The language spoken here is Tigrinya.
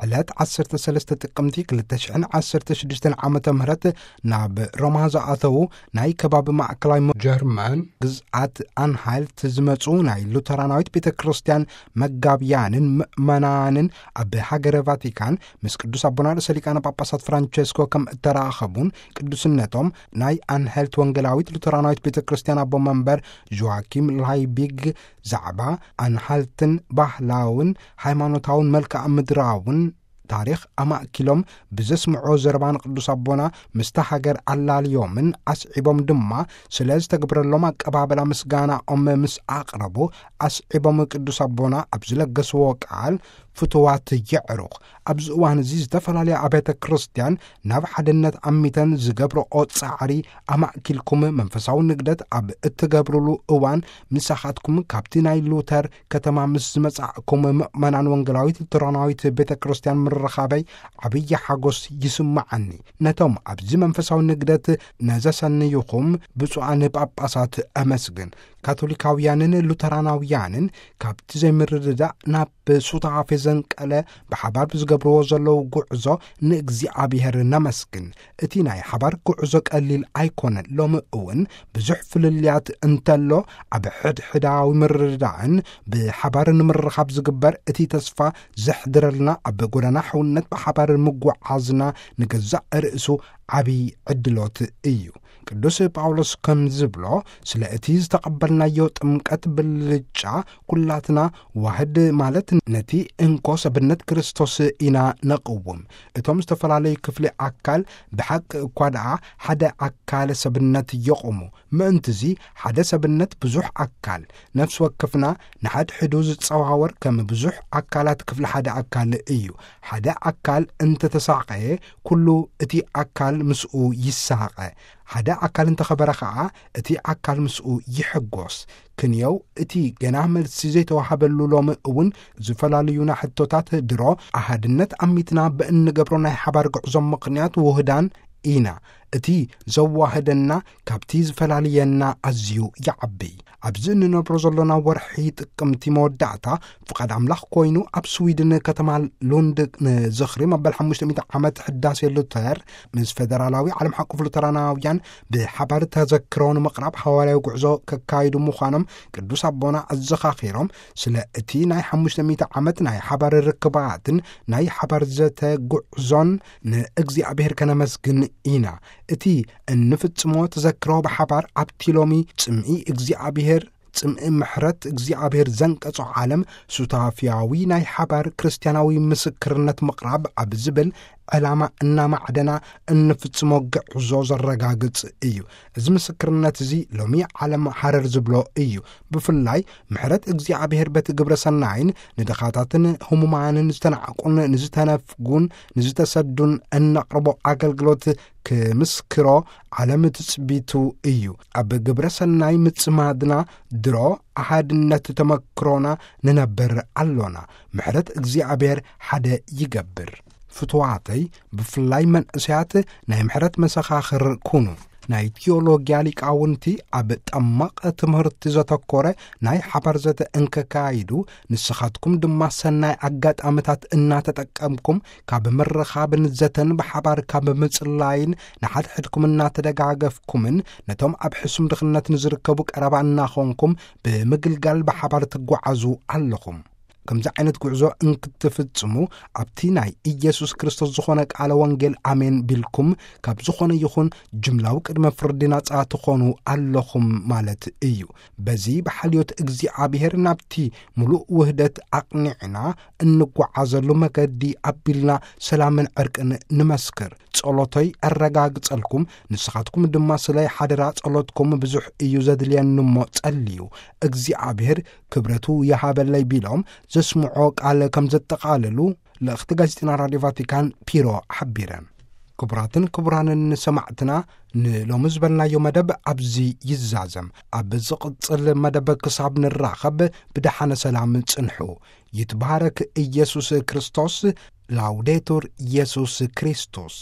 ዕለት ዓሰርተ ሰለስተ ጥቅምቲ ክልተ ሽሕን ዓሰርተ ሽዱሽተን ዓመተ ምህረት ናብ ሮማ ዝኣተዉ ናይ ከባቢ ማእከላይ ጀርመን ግዝኣት ኣንሃልት ዝመጹ ናይ ሉተራናዊት ቤተ ክርስቲያን መጋብያንን ምእመናንን ኣብ ሃገረ ቫቲካን ምስ ቅዱስ ኣቦና ርእሰ ሊቃነ ጳጳሳት ፍራንቸስኮ ከም እተራኸቡን ቅዱስነቶም ናይ ኣንሃልት ወንጌላዊት ሉተራናዊት ቤተ ክርስቲያን ኣቦ መንበር ጆዋኪም ላይቢግ ዛዕባ ኣንሃልትን ባህላውን ሃይማኖታውን መልክዓ ምድራውን ታሪኽ ኣማእኪሎም ብዘስምዖ ዘረባ ንቅዱስ ኣቦና ምስታ ሃገር ኣላልዮምን ኣስዒቦም ድማ ስለ ዝተግብረሎም ኣቀባበላ ምስጋናኦም ምስ ኣቕረቡ ኣስዒቦም ቅዱስ ኣቦና ኣብ ዝለገስዎ ቃል ፍትዋት የዕሩኽ ኣብዚ እዋን እዚ ዝተፈላለያ ኣብያተ ክርስቲያን ናብ ሓድነት ኣሚተን ዝገብርኦ ጻዕሪ ኣማእኪልኩም መንፈሳዊ ንግደት ኣብ እትገብሩሉ እዋን ምሳኻትኩም ካብቲ ናይ ሉተር ከተማ ምስ ዝመጻእኩም ምእመናን ወንጌላዊት ሉተራናዊት ቤተ ክርስቲያን ምርኻበይ ዓብዪ ሓጎስ ይስምዓኒ። ነቶም ኣብዚ መንፈሳዊ ንግደት ነዘሰንዩኹም ብፁዓን ጳጳሳት ኣመስግን። ካቶሊካውያንን ሉተራናውያንን ካብቲ ዘይምርድዳእ ናብ ሱታፌ ዘንቀለ ብሓባር ብዝገብርዎ ዘለዉ ጉዕዞ ንእግዚኣብሔር ነመስግን። እቲ ናይ ሓባር ጉዕዞ ቀሊል ኣይኮነን። ሎሚ እውን ብዙሕ ፍልልያት እንተሎ ኣብ ሕድሕዳዊ ምርድዳእን ብሓባር ንምርኻብ ዝግበር እቲ ተስፋ ዘሕድረልና ኣብ ጎዳና ሕውነት ብሓባር ምጉዓዝና ንገዛእ ርእሱ ዓብዪ ዕድሎት እዩ። ቅዱስ ጳውሎስ ከም ዝብሎ ስለ እቲ ዝተቐበልናዮ ጥምቀት ብልጫ ኩላትና ዋህድ ማለት ነቲ እንኮ ሰብነት ክርስቶስ ኢና ነቕውም። እቶም ዝተፈላለዩ ክፍሊ ኣካል ብሓቂ እኳ ደኣ ሓደ ኣካል ሰብነት የቑሙ። ምእንትዚ ሓደ ሰብነት ብዙሕ ኣካል ነፍሲ ወከፍና ንሓድሕዱ ዝጸዋወር ከም ብዙሕ ኣካላት ክፍሊ ሓደ ኣካል እዩ። ሓደ ኣካል እንተተሳቐየ ኩሉ እቲ ኣካል ምስኡ ይሳቐ። ሓደ ኣካል እንተኸበረ ኸኣ እቲ ኣካል ምስኡ ይሕጎስ። ክንየው እቲ ገና መልሲ ዘይተዋሃበሉ ሎሚ እውን ዝፈላልዩና ሕቶታት ድሮ ኣሃድነት ኣሚትና ብእንገብሮ ናይ ሓባር ጉዕዞ ምኽንያት ውህዳን ኢና። እቲ ዘዋህደና ካብቲ ዝፈላልየና ኣዝዩ ይዓቢ። ኣብዚ እንነብሮ ዘሎና ወርሒ ጥቅምቲ መወዳእታ ፍቓድ ኣምላኽ ኮይኑ ኣብ ስዊድን ከተማ ሉንድ ንዝኽሪ መበል ሓሙሽተ ሚእቲ ዓመት ሕዳሴ ሉተር ምስ ፈደራላዊ ዓለም ሓቁፍ ሉተራናውያን ብሓባር ተዘክሮ ንምቕራብ ሃዋርያዊ ጉዕዞ ከካይዱ ምዃኖም ቅዱስ ኣቦና ኣዘኻኺሮም ስለ እቲ ናይ ሓሙሽተ ሚእቲ ዓመት ናይ ሓባር ርክባትን ናይ ሓባር ዘተ ጉዕዞን ንእግዚኣብሔር ከነመስግን ኢና። እቲ እንፍጽሞ ተዘክሮ ብሓባር ኣብቲ ሎሚ ጽምኢ እግዚኣብሔር ጽምኢ ምሕረት እግዚኣብሔር ዘንቀጾ ዓለም ሱታፍያዊ ናይ ሓባር ክርስትያናዊ ምስክርነት ምቕራብ ኣብ ዝብል ዕላማ እናማዕደና እንፍጽሞ ግዕዞ ዘረጋግጽ እዩ። እዚ ምስክርነት እዚ ሎሚ ዓለም ሃረር ዝብሎ እዩ። ብፍላይ ምሕረት እግዚኣብሔር በቲ ግብረ ሰናይን ንድኻታትን ህሙማንን ዝተናዕቁን ንዝተነፍጉን ንዝተሰዱን እነቕርቦ ኣገልግሎት ክምስክሮ ዓለም ትጽቢቱ እዩ። ኣብ ግብረ ሰናይ ምጽማድና ድሮ ኣሃድነት ተመክሮና ንነብር ኣሎና። ምሕረት እግዚኣብሔር ሓደ ይገብር። ፍትዋተይ ብፍላይ መንእሰያት ናይ ምሕረት መሰኻኽር ኩኑ። ናይ ቲዮሎጊያ ሊቃውንቲ ኣብ ጠማቕ ትምህርቲ ዘተኮረ ናይ ሓባር ዘተ እንከካይዱ ንስኻትኩም ድማ ሰናይ ኣጋጣምታት እናተጠቀምኩም ካብ ምርኻብን ዘተን ብሓባር ካብ ምጽላይን ንሓድሕድኩም እናተደጋገፍኩምን ነቶም ኣብ ሕሱም ድኽነት ንዝርከቡ ቀረባ እናኾንኩም ብምግልጋል ብሓባር ትጓዓዙ ኣለኹም። ከምዚ ዓይነት ጉዕዞ እንክትፍጽሙ ኣብቲ ናይ ኢየሱስ ክርስቶስ ዝኾነ ቃለ ወንጌል ኣሜን ቢልኩም ካብ ዝኾነ ይኹን ጅምላዊ ቅድመ ፍርዲ ናጻ ትኾኑ ኣለኹም ማለት እዩ። በዚ ብሓልዮት እግዚኣብሔር ናብቲ ምሉእ ውህደት ኣቕኒዕና እንጓዓዘሉ መገዲ ኣቢልና ሰላምን ዕርቅን ንመስክር። ጸሎተይ ኣረጋግጸልኩም፣ ንስኻትኩም ድማ ስለይ ሓደራ ጸሎትኩም ብዙሕ እዩ ዘድልየኒ እሞ ጸልዩ፣ እግዚኣብሔር ክብረቱ ይሃበለይ ቢሎም ዘስምዖ ቃል ከም ዘጠቓልሉ ልእኽቲ ጋዜጠና ራድዮ ቫቲካን ፒሮ ሓቢረን። ክቡራትን ክቡራንን ሰማዕትና፣ ንሎሚ ዝበልናዮ መደብ ኣብዚ ይዛዘም። ኣብ ዝቕጽል መደብ ክሳብ ንራኸብ ብደሓነ ሰላም ጽንሑ። ይትባረክ ኢየሱስ ክርስቶስ። ላውዴቱር ኢየሱስ ክርስቶስ።